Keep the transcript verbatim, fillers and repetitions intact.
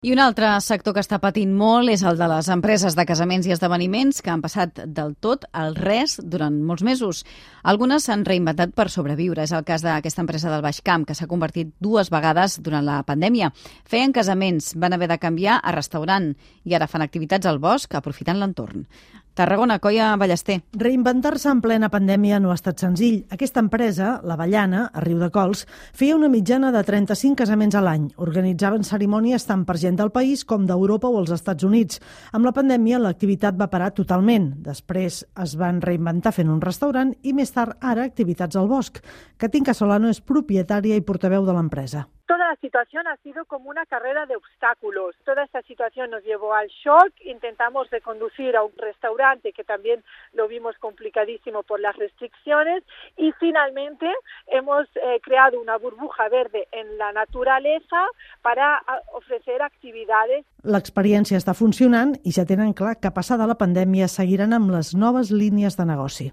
I un altre sector que està patint molt és el de les empreses de casaments i esdeveniments, que han passat del tot al res durant molts mesos. Algunes s'han reinventat per sobreviure. És el cas d'aquesta empresa del Baix Camp, que s'ha convertit dues vegades durant la pandèmia. Feien casaments, van haver de canviar a restaurant i ara fan activitats al bosc aprofitant l'entorn. Tarragona, Coia Ballester. Reinventar-se en plena pandèmia no ha estat senzill. Aquesta empresa, l'Avellana, a Riudecols, feia una mitjana de trenta-cinc casaments a l'any. Organitzaven cerimònies tant per gent del país com d'Europa o els Estats Units. Amb la pandèmia, l'activitat va parar totalment. Després es van reinventar fent un restaurant i més tard, ara, activitats al bosc. Katinka Solano és propietària i portaveu de l'empresa. Toda la situación ha sido como una carrera de obstáculos. Toda esta situación nos llevó al shock. Intentamos reconducir a un restaurante que también lo vimos complicadísimo por las restricciones y finalmente hemos eh, creado una burbuja verde en la naturaleza para ofrecer actividades. L'experiència està funcionant i ja tenen clar que passada la pandèmia seguiran amb les noves línies de negoci.